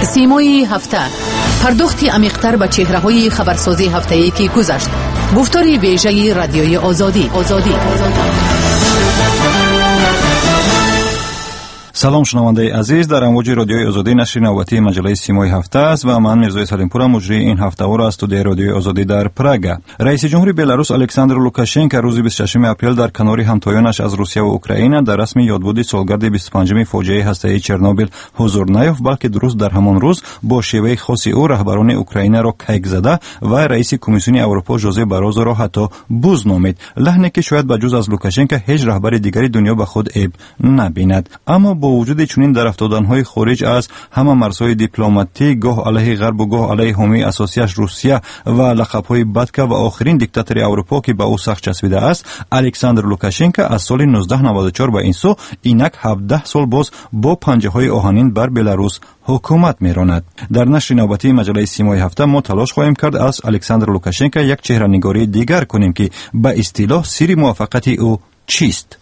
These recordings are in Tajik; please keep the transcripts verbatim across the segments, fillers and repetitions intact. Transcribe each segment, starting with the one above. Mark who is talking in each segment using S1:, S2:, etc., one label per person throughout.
S1: Симои ҳафта, пардохти амиқтар ба чеҳраҳои хабарсозии ҳафтае, ки гузашт. Гуфтори вежаи Радиои Озодӣ. Озодӣ.
S2: Салом, шунавандаи азиз. Дар амвоҷи Радиои Озодӣ нашри навбатии маҷаллаи Симои ҳафта аст ва ман, Мирзои Салимпурам, муҷрии ин ҳафтаҳоро аз студияи Радиои Озодӣ дар Прага. Раиси ҷумҳури Беларус Александр Лукашенко рӯзи бисту шашуми апрел дар канори ҳамтоёнаш аз Русия ва Украина дар расми ёдбуди солгарди бисту панҷуми фоҷиаи ҳастаии Чернобил ҳузур наёфт, балки дуруст дар ҳамон рӯз бо шеваи хоси ӯ раҳбарони Украинаро кайк зада ва раиси Комиссиони Аврупо Жозе Барозоро ҳатто буз номид. Лаҳне, ки шояд ба ҷуз аз Лукашенко ҳеҷ раҳбари дигари дунё ба худ эб набинад. Аммо бо вуҷуди чунин дарафтоданҳои хориҷ аз ҳама марзҳои дипломатӣ, гоҳ алайҳи Ғарбу гоҳ алайҳи ҳомии асосияш Русия ва лақабҳои Батка ва охирин диктатори Аврупо, ки ба ӯ сахт часпидааст, Александр Лукашенко аз соли нуздаҳ наваду чор ба ин сӯ инак ҳабдаҳ сол боз бо панҷаҳои оҳанин бар Беларус ҳукумат меронад. Дар нашри навбатии маҷаллаи Симои ҳафта мо талош хоҳем кард аз Александр Лукашенко як чеҳранигории дигар кунем, ки ба истилоҳ сирри муваффақияти ӯ чист.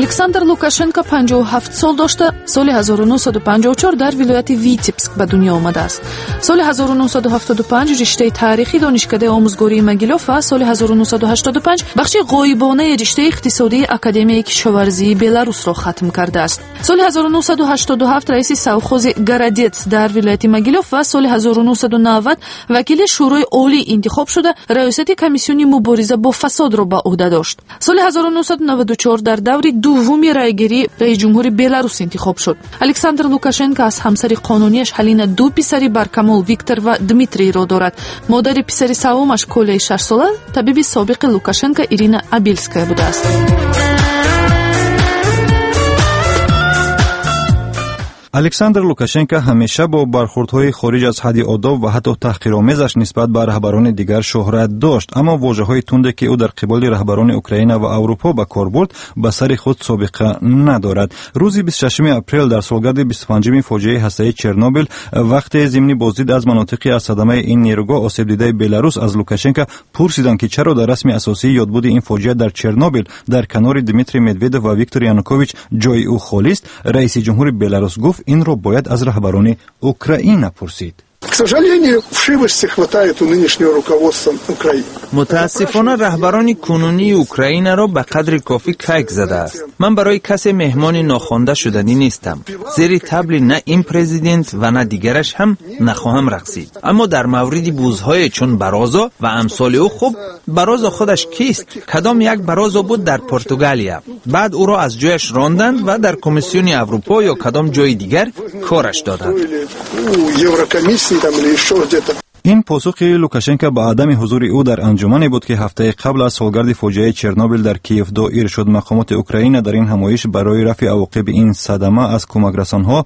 S3: Александр Лукашенко панҷоҳу ҳафт сол дошта, соли ҳазору нӯҳсаду панҷоҳу чор дар вилояти Витебск ба дунё омадааст. Соли ҳазору нӯҳсаду ҳафтоду панҷ риштаи таърихи Донишкадаи омӯзгории Могилёв ва соли ҳазору нӯҳсаду ҳаштоду панҷ бахши ғоибонаи риштаи иқтисодии Академияи кишоварзии Беларусро хатм кардааст. Соли ҳазору нӯҳсаду ҳаштоду ҳафт раиси совхози Городец дар вилояти Могилёв ва соли ҳазору нӯҳсаду навад вакили Шӯрои Олӣ интихоб шуда, раёсати комиссиони мубориза бо фасодро ба ӯҳда дошт. Соли ҳазору нӯҳсаду наваду чор дар даври дуввуми райгирӣ раис ҷумҳури Беларус интихоб шуд. Александр Лукашенко аз ҳамсари қонунияш Ҳалина ду писари баркамол, Виктор ва Дмитрийро дорад. Модари писари саввумаш, Колеи шашсола, табиби собиқи Лукашенко Ирина Абельская будааст.
S2: Александр Лукашенко ҳамеша бо бархурдҳои хориҷ аз ҳадди одоб ва ҳатто таҳқиромезаш нисбат ба раҳбарони дигар шӯҳрат дошт. Аммо вожаҳои тунде, ки ӯ дар қиболи раҳбарони Украина ва Аврупо ба кор бурд, ба сари худ собиқа надорад. Рӯзи бисту шашуми апрел дар солгарди бисту панҷуми фоҷиаи ҳастаии Чернобил, вақте зимни боздид аз манотиқи аз садамаи ин нерӯгоҳ осебдидаи Беларус аз Лукашенко пурсиданд, ки чаро дар расми асосии ёдбуди ин фоҷиа дар Чернобил дар канори Дмитрий Медведев ва Виктор Янукович ҷои ӯ холист, раиси ҷумҳури Беларус гуфт, инро бояд аз раҳбарони Украина пурсид.
S4: К сожалению, вшивости хватает у нынешнего руководства Украины.
S5: Мутаассифона, раҳбарони кунунии Украинаро ба қадри кофӣ кайк задааст. Ман барои касе меҳмони нохонда шуданӣ нестам. Зери табли на ин президент ва на дигараш ҳам нахоҳам рақсид. Аммо дар мавриди бузҳое чун Барозо ва амсоли ӯ, хуб, Барозо худаш кист? Кадом як Барозо буд дар Португалия. Баъд ӯро аз ҷояш ронданд ва дар Комиссиони Аврупо ё кадом ҷои дигар кораш доданд.
S4: Еврокомиссии там или еще где-то.
S2: Ин посухи Лукашенко ба адами ҳузури ӯ дар анҷумане буд, ки ҳафтаи қабл аз солгарди фоҷиаи Чернобил дар Киев доир шуд. Мақомоти Украина дар ин ҳамоиш барои рафъи авоқиби ин садама аз кӯмакрасонҳо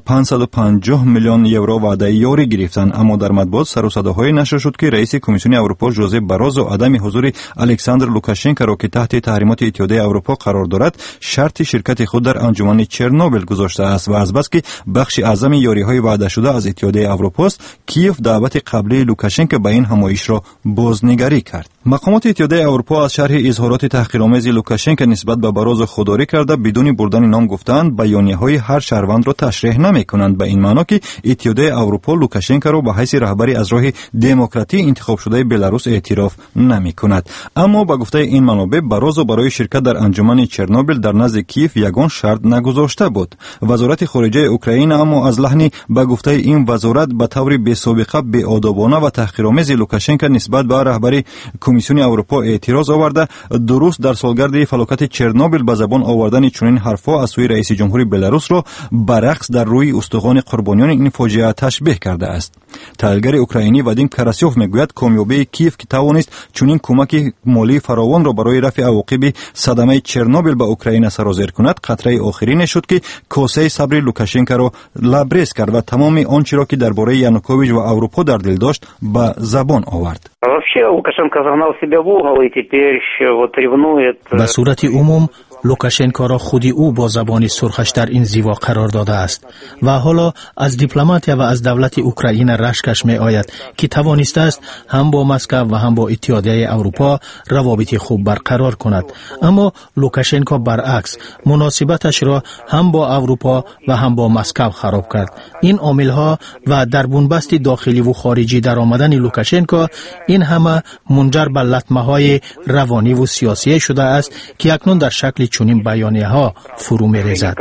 S2: панҷсаду панҷоҳ миллион евро ваъдаи ёрӣ гирифтанд. Аммо дар матбуот сару садоҳое нашр шуд, ки раиси Комиссиони Аврупо Жозе Барозо адами ҳузури Александр Лукашенкоро, ки таҳти таҳримоти Иттиҳодияи Аврупо қарор дорад, шарти ширкати худ дар анҷумани Чернобил гузоштааст ва азбаски бахши аъзами ёриҳои ваъдашуда аз Иттиҳодияи Аврупост, Киев даъвати қаблии Лукашенко ба ин ҳамоишро бознигарӣ кард. Мақомоти Иттиҳодияи Аврупо аз шарҳи изҳороти таҳқиромези Лукашенко нисбат ба Барозо худдорӣ карда, бидуни бурдани ном гуфтаанд, баёнияҳои ҳар шаҳрвандро ташреҳ намекунанд, ба ин маъно, ки Иттиҳодияи Аврупо Лукашенкоро ба ҳайси раҳбари аз роҳи демократӣ интихобшудаи Беларус эътироф намекунад. Аммо ба гуфтаи ин манобеъ, Барозо барои ширкат дар анҷумани Чернобил дар назди Киев ягон шарт нагузошта буд. Вазорати хориҷаи Украина аммо аз лаҳни, ба гуфтаи ин вазорат, ба таври бесобиқа беодобона ва таҳқиромези Лукашенко нисбат ба раҳбари Комиссиони Аврупо эътироз оварда, дуруст дар солгарди фалокати Чернобил ба забон овардани чунин ҳарфҳо аз сӯи раиси ҷумҳури Беларусро ба рақс дар рӯи устухони қурбониёни ин фоҷиа ташбеҳ кардааст. Таҳлилгари украинӣ Вадим Карасёв мегӯяд, комёбии Киев, ки тавонист чунин кӯмаки молии фаровонро барои рафъи авоқиби садамаи Чернобил ба Украина сарозер кунад, қатраи охирине шуд, ки косаи сабри Лукашенкоро лабрез кард ва тамоми он чиро, ки дар бораи Янукович ва Аврупо дар дил дошт, ба забон овард.
S6: Вообще Лукашенко загнал себя в угол и теперь вот ревнует.
S7: Ба сурати умум
S6: Лукашенкоро худи ӯ бо забони сурхаш дар ин зиво қарор додааст ва ҳоло аз дипломатия ва аз давлати Украина рашкаш меояд, ки тавонистааст ҳам бо Москав ва ҳам бо Иттиҳодияи Аврупо равобити хуб барқарор кунад. Аммо Лукашенко баръакс муносибаташро ҳам бо Аврупо ва ҳам бо Москав хароб кард. Ин омилҳо ва дар бунбасти дохиливу хориҷӣ даромадани Лукашенко, ин ҳама мунҷар ба латмаҳои равониву сиёсие шудааст, ки акнун дар шакли чунин баёнияҳо фурӯ мерезад.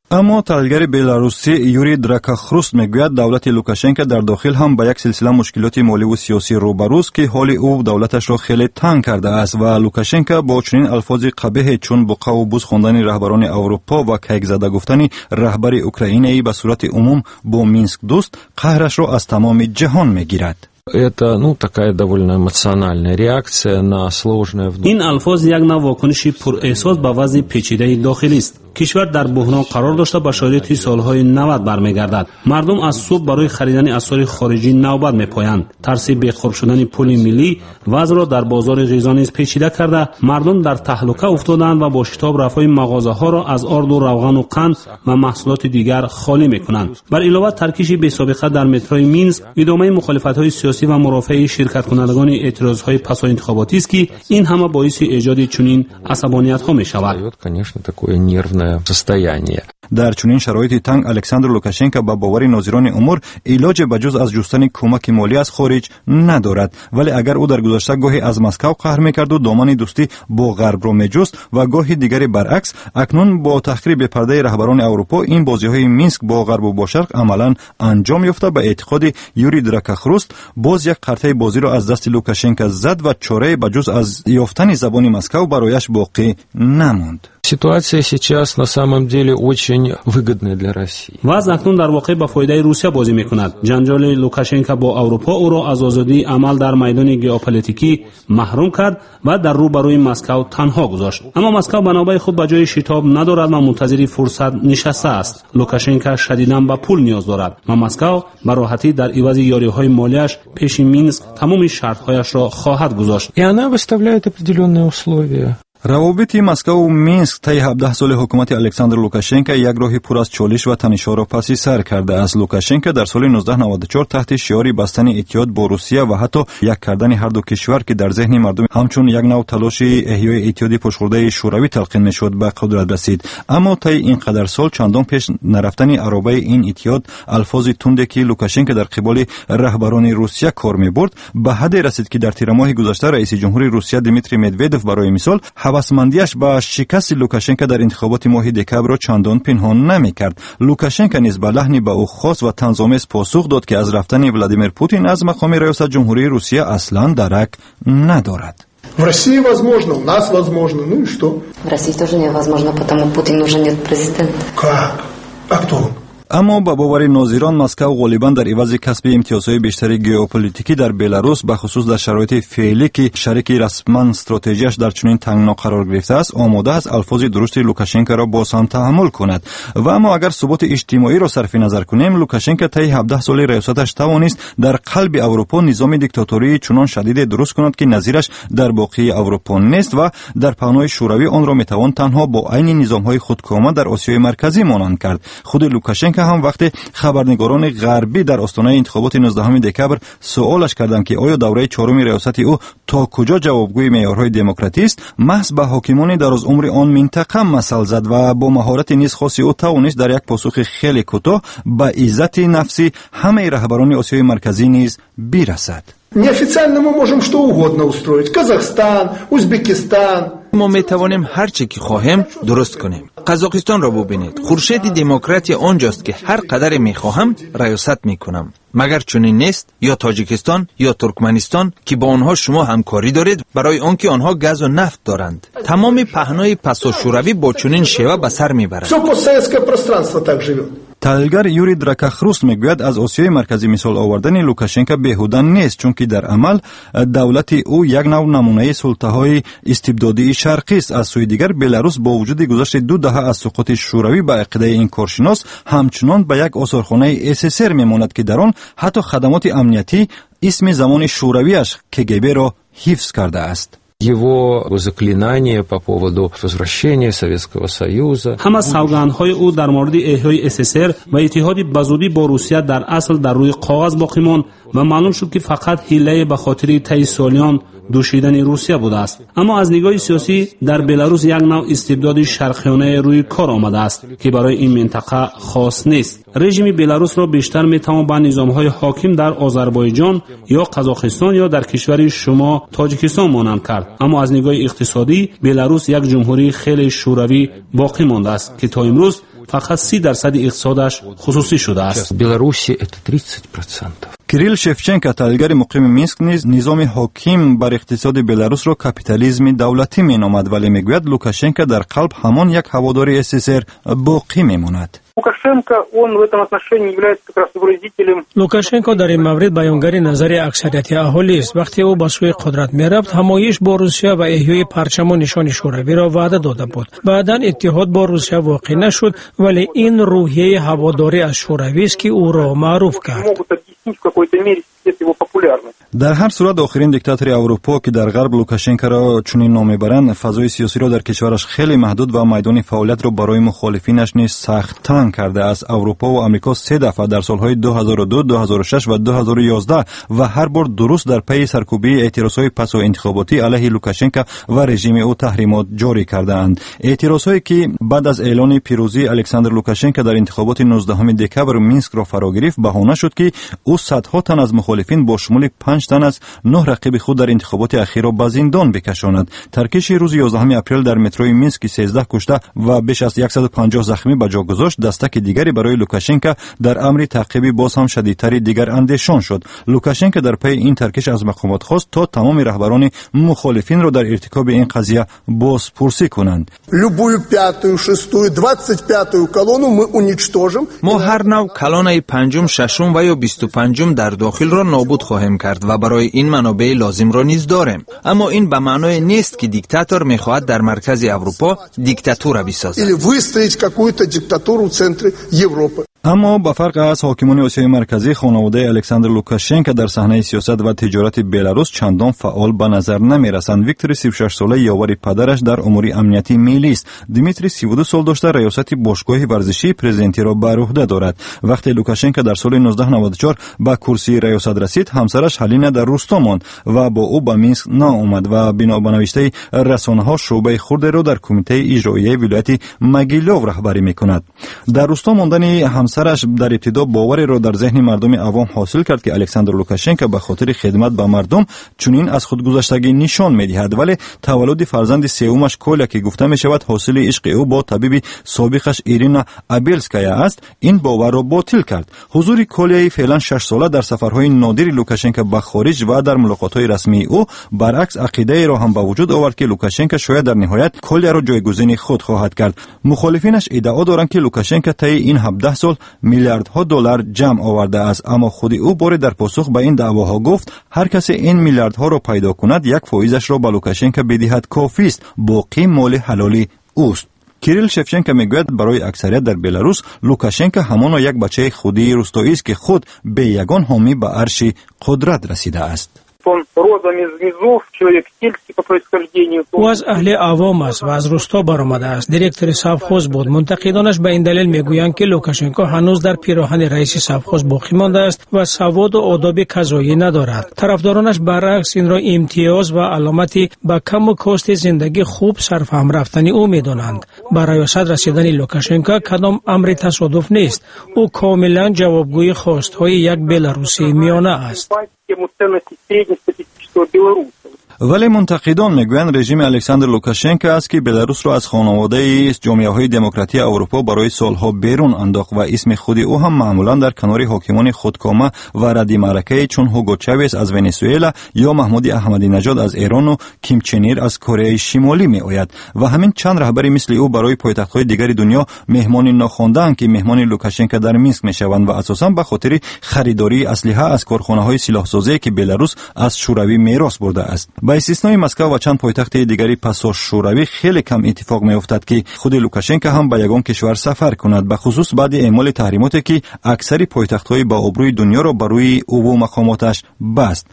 S2: Аммо таҳлилгари беларусӣ Юрий Дракахруст мегӯяд, давлати Лукашенко дар дохил ҳам ба як силсила мушкилоти моливу сиёсӣ рӯбарӯст, ки ҳоли ӯ давлаташро хеле танг кардааст ва Лукашенко бо чунин алфози қабеҳе, чун буқаву буз хондани раҳбарони Аврупо ва кайкзада гуфтани раҳбари Украинаи ба сурати умум бо Минск дӯст, қаҳрашро аз тамоми ҷаҳон мегирад.
S7: Это, ну, такая довольно эмоциональная реакция на сложное.
S8: Ин алфоз як нав вокуниши пурэҳсос ба вазъи печидаи дохилист. Кишвар дар буҳрон қарор дошта, ба шароити солҳои навад бармегардад. Мардум аз субҳ барои харидани асъори хориҷӣ навбат мепоянд. Тарси беқурб шудани пули миллӣ вазъро дар бозори ғизо низ печида карда, мардум дар таҳлука уфтодаанд ва бо шитоб рафҳои мағозаҳоро аз орду, равғану қанд ва маҳсулоти дигар холӣ мекунанд. Бар илова, таркиши бесобиқа дар метрои Минск идомаи мухолифатҳои сиёсӣ ва мурофиаи ширкаткунандагони эътирозҳои пасоинтихоботист, ки ин ҳама боиси эҷоди чунин асабониятҳо мешавад.
S7: Конечно, такое нервное состояние.
S2: Дар чунин шароити танг Александр Лукашенко, ба бовари нозирони умур, илоҷе ба ҷуз аз ҷустани кӯмаки молӣ аз хориҷ надорад. Вале агар ӯ дар гузашта гоҳе аз Москав қаҳр мекарду домани дӯстӣ бо ғарбро меҷуст ва гоҳи дигаре баръакс, акнун бо таҳқири бепардаи раҳбарони Аврупо ин бозиҳои Минск бо ғарбу бо шарқ амалан анҷом ёфта, ба эътиқоди Юрий Дракахруст, боз як қартаи бозиро аз дасти Лукашенко зад ва чорае ба ҷуз аз ёфтани забони Москав барояш боқӣ намонд.
S7: Ситуация сейчас на самом деле очень выгодная для России.
S8: Вазъ акнун дар воқеъ ба фоидаи Русия бозӣ мекунад. Ҷанҷоли Лукашенко бо Аврупо ӯро аз озодии амал дар майдони геополитикӣ маҳрум кард ва дар рӯ ба рӯи Москав танҳо гузошт. Аммо Москав ба навбаи худ ба ҷои шитоб надорад ва мунтазири фурсат нишастааст. Лукашенко шадидан ба пул ниёз дорад ва Москав ба роҳатӣ дар ивази ёриҳои молияш пеши Минск тамоми шартҳояшро хоҳад гузошт.
S7: И она выставляет определенные условия.
S2: Равобити Москаву Минск таи ҳабдаҳ соли ҳукумати Александр Лукашенко як роҳи пур аз чолиш ва танишҳоро паси сар кардааст. Лукашенко дар соли нуздаҳ наваду чор таҳти шиори бастани иттиҳод бо Русия ва ҳатто як кардани ҳарду кишвар, ки дар зеҳни мардум ҳамчун як нав талоши эҳёи иттиҳоди пошхӯрдаи Шӯравӣ талқин мешуд, ба қудрат расид. Аммо таи ин қадар сол чандон пеш нарафтани аробаи ин иттиҳод, алфози тунде, ки Лукашенко дар қиболи раҳбарони Русия кор мебурд, ба ҳадде расид, ки дар тирамоҳи гузашта раиси ҷумҳури Русия Дмитрий Медведев, барои мисол, ҳавасмандиаш ба шикасти Лукашенко дар интихоботи моҳи декабрро чандон пинҳон намекард. Лукашенко низ ба лаҳни ба ӯ хос ва танзомез посух дод, ки аз рафтани Владимир Путин аз мақоми раёсат ҷумҳурии Русия аслан дарак надорад.
S4: В России возможно, у нас возможно. Ну и что?
S9: В России тоже невозможно, потому Путин уже нет президент.
S4: Как? А кто он?
S2: Аммо ба бовари нозирон, Москав ғолибан дар ивази касби имтиёзҳои бештари геополитикӣ дар Беларус, бахусус дар шароити феълӣ, ки шарики расман стратегияш дар чунин тангно қарор гирифтааст, омода аст алфози дурушти Лукашенкоро боз ҳам таҳаммул кунад. Ва аммо агар суботи иҷтимоиро сарфи назар кунем, Лукашенко таи ҳабдаҳ соли раёсаташ тавонист дар қалби Аврупо низоми диктатории чунон шадиде дуруст кунад, ки назираш дар боқии Аврупо нест ва дар паҳнои Шӯравӣ онро метавон танҳо бо айни низомҳои худкома дар Осиёи Марказӣ монанд кард. Худи Лукашенко ҳам, вақте хабарнигорони ғарбӣ дар остонаи интихоботи нуздаҳуми декабр суолаш карданд, ки оё давраи чоруми раёсати ӯ то куҷо ҷавобгӯи меъёрҳои демократист, маҳз ба ҳокимони дарозумри он минтақа масал зад ва бо маҳорати низ хоси ӯ тавонист дар як посухи хеле кӯтоҳ ба иззати нафси ҳамаи раҳбарони Осиёи Марказӣ низ бирасад.
S4: Неофициально мы можем что угодно устроить. Казахстан, Узбекистан.
S5: Мо метавонем ҳар чӣ ки хоҳем дуруст кунем. Қазоқистонро бубинед. Хуршеди демократия он ҷост, ки ҳар қадаре мехоҳам раёсат мекунам. Магар чунин нест? Ё Тоҷикистон, ё Туркманистон, ки бо онҳо шумо ҳамкорӣ доред, барои он ки онҳо газу нафт доранд. Тамоми паҳнои пасошӯравӣ бо чунин шева ба сар мебарад.
S4: Все постсоветское пространство так живет.
S2: Таҳлилгар Юрий Дракахруст мегӯяд, аз Осиёи Марказӣ мисол овардани Лукашенко беҳуда нест, чунки дар амал давлати ӯ як нав намунаи султаҳои истибдодии шарқист. Аз сӯи дигар, Беларус бо вуҷуди гузашти ду даҳа аз суқути Шӯравӣ, ба ақидаи ин коршинос, ҳамчунон ба як осорхонаи С С С Р мемонад, ки дар он ҳатто хадамоти амниятӣ исми замони шӯравиаш К Г Б-ро ҳифз кардааст.
S7: Его заклинание по поводу возвращения Советского Союза.
S8: Ҳама савгандҳои ӯ дар мавриди эҳёи СССР ва иттиҳоди ба зудӣ бо Русия дар асл дар рӯи коғаз боқӣ монд ва маълум шуд, ки фақат ҳилае ба хотири таи солиён дӯшидани Русия будааст. Аммо аз нигоҳи сиёсӣ дар Беларус як навъ истибдоди шарқиёнае рӯи кор омадааст, ки барои ин минтақа хос нест. Режими Беларусро бештар метавон ба низомҳои ҳоким дар Озарбойҷон ё Қазоқистон ё дар кишвари шумо Тоҷикистон монанд кард. Аммо аз нигоҳи иқтисодӣ Беларус як ҷумҳурии хеле шӯравӣ боқӣ мондааст, ки то имрӯз фақат си дарсади иқтисодаш хусусӣ шудааст.
S7: Беларуси это тридцать процентов.
S2: Кирилл Шевченко, таҳлилгари муқими Минск, низ низоми ҳоким бар иқтисоди Беларусро капитализми давлатӣ меномад, вале мегӯяд, Лукашенко дар қалб ҳамон як ҳаводори СССР боқӣ мемонад.
S10: Лукашенко, он в этом отношении является как раз выразителем.
S11: Лукашенко дар ин маврид баёнгари назари аксарияти аҳолист. Вақте ӯ ба сӯи қудрат мерафт, ҳамоиш бо Русия ва эҳёи парчаму нишони шӯравиро ваъда дода буд. Баъдан иттиҳод бо Русия воқеъ нашуд, вале ин рӯҳияи ҳаводорӣ аз шӯравист, ки ӯро маъруф кард.
S10: Могут объяснить в какой-то мере его популярность.
S2: Дар ҳар сурат, охирин диктатори Аврупо, ки дар ғарб Лукашенкоро чунин ном мебаранд, фазои сиёсиро дар кишвараш хеле маҳдуд ва майдони фаъолиятро барои мухолифинаш низ сахт танг кардааст. Аврупо ва Амрико се дафъа дар солҳои ду ҳазору ду, ду ҳазору шаш ва ду ҳазору ёздаҳ ва ҳар бор дуруст дар пайи саркӯбии эътирозҳои пасоинтихоботӣ алайҳи Лукашенко ва режими ӯ таҳримот ҷорӣ кардаанд. Эътирозҳое, ки баъд аз эълони пирӯзии Александр Лукашенко дар интихоботи нуздаҳуми декабр Минскро фаро гирифт, баҳона шуд, ки ӯ садҳо тан аз мухолифин, бо шумули панҷ тан аз нӯҳ рақиби худ дар интихоботи ахирро ба зиндон бикашонад. Таркиши рӯзи ёздаҳуми апрел дар метрои Минск, ки сездаҳ кушта ва беш аз яксаду панҷоҳ захмӣ ба ҷо гузошт, дастаки дигаре барои Лукашенко дар амри таъқиби боз ҳам шадидтари дигарандешон шуд. Лукашенко дар пайи ин таркиш аз мақомот хост, то тамоми раҳбарони мухолифинро дар иртикоби ин қазия бозпурсӣ кунанд.
S4: Любую пятую, шестую, двадцать пятую колонну мы уничтожим.
S5: Мо ҳар нав колоннаи панҷум, шашум ва ё бисту панҷум дар дохилро нобуд хоҳем кард ва барои ин манобеи лозимро низ дорем. Аммо ин ба маъное нест, ки диктатор мехоҳад дар маркази Аврупо диктатура бисозад.
S4: Или выстроить какую-то диктатуру в центре Европы.
S2: Аммо ба фарқ аз ҳокимони Осиёи Марказӣ, хонаводаи Александр Лукашенко дар саҳнаи сиёсат ва тиҷорати Беларус чандон фаъол ба назар намерасанд. Виктори сившашсола ёвари падараш дар умури амнияти миллист. Дмитрий сивду сол дошта, раёсати бошгоҳи варзишии президентиро бар уҳда дорад. Вақте Лукашенко дар соли ҳазору нӯҳсаду наваду чор ба курсии раёсат расид, ҳамсараш Ҳалина дар русто монд ва бо ӯ ба Минск наомад ва бино ба навиштаи расонаҳо шӯъбаи хурдеро дар кумитаи иҷроияи вилояти Могилёв раҳбарӣ мекунад. Дар русто мондани ҳамсараш дар ибтидо бовареро дар зеҳни мардуми авом ҳосил кард, ки Александр Лукашенко ба хотири хидмат ба мардум чунин аз худгузаштагӣ нишон медиҳад. Вале таваллуди фарзанди сеюмаш Коля, ки гуфта мешавад, ҳосили ишқи ӯ бо табиби собиқаш Ирина Абельская аст, ин боварро ботил кард. Ҳузури Коляи феълан шашсола дар сафарҳои нодири Лукашенко ба хориҷ ва дар мулоқотҳои расмии ӯ баръакс ақидаеро ҳам ба вуҷуд овард, ки Лукашенко шояд дар ниҳоят Коляро ҷойгузини худ хоҳад кард. Мухолифинаш иддао доранд, ки Лукашенко таи ин ҳабдаҳ сол миллиардҳо доллар ҷамъ овардааст. Аммо худи ӯ боре дар посух ба ин даъвоҳо гуфт, ҳар касе ин миллиардҳоро пайдо кунад, як фоизашро ба Лукашенко бидиҳад, кофист, боқӣ моли ҳалоли ӯст. Кирилл Шевченко мегӯяд, барои аксарият дар Беларус Лукашенко ҳамоно як бачаи худии рустоист, ки худ бе ягон ҳомӣ ба арши қудрат расидааст.
S10: Он родом из низов, человек сельский по происхождению.
S11: Ӯ аз аҳли авом аст ва аз русто баромадааст. Директори совхоз буд. Мунтақидонаш ба ин далел мегӯянд, ки Лукашенко ҳанӯз дар пироҳани раиси совхоз боқӣ мондааст ва саводу одоби казоӣ надорад. Тарафдоронаш баръакс инро имтиёз ва аломати ба каму кости зиндагӣ хуб сарфаҳм рафтани ӯ медонанд. Ба раёсат расидани Лукашенко кадом амри тасодуф нест. Ӯ комилан ҷавобгӯи хостҳои як беларусии миёна аст.
S10: Тему ценностей среднестатистического белоруса.
S2: Вале мунтақидон мегӯянд, режими Александр Лукашенко аст, ки Беларусро аз хонаводаи ҷомеаҳои демократии Аврупо барои солҳо берун андохт ва исми худи ӯ ҳам маъмулан дар канори ҳокимони худкома ва радди маъракае чун Ҳуго Чавес аз Венесуэла ё Маҳмуди Аҳмадинаҷод аз Эрону Ким Чен Ир аз Кореяи Шимолӣ меояд. Ва ҳамин чанд раҳбари мисли ӯ барои пойтахтҳои дигари дунё меҳмони нохондаанд, ки меҳмони Лукашенко дар Минск мешаванд ва асосан ба хотири харидории аслиҳа аз корхонаҳои силоҳсозие, ки Беларус аз Шӯравӣ мерос бурдааст. Ба истиснои Москав ва чанд пойтахти дигари пасошӯравӣ, хеле кам иттифоқ меафтад, ки худи Лукашенко ҳам ба ягон кишвар сафар кунад, бахусус баъди эъмоли таҳримоте, ки аксари пойтахтҳои ба обрӯи дунёро ба рӯи ӯву мақомоташ баст.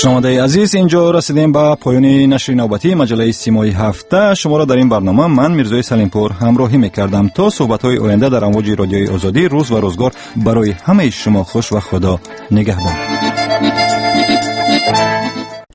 S2: Шунавандаи азиз, инҷо расидем ба поёни нашри навбатии маҷаллаи Симои ҳафта. Шуморо дар ин барнома ман, Мирзои Салимпур, ҳамроҳӣ мекардам. То суҳбатҳои оянда дар амвоҷи Радиои Озодӣ, рӯз ва рӯзгор барои ҳамаи шумо хуш ва Худо нигаҳбон.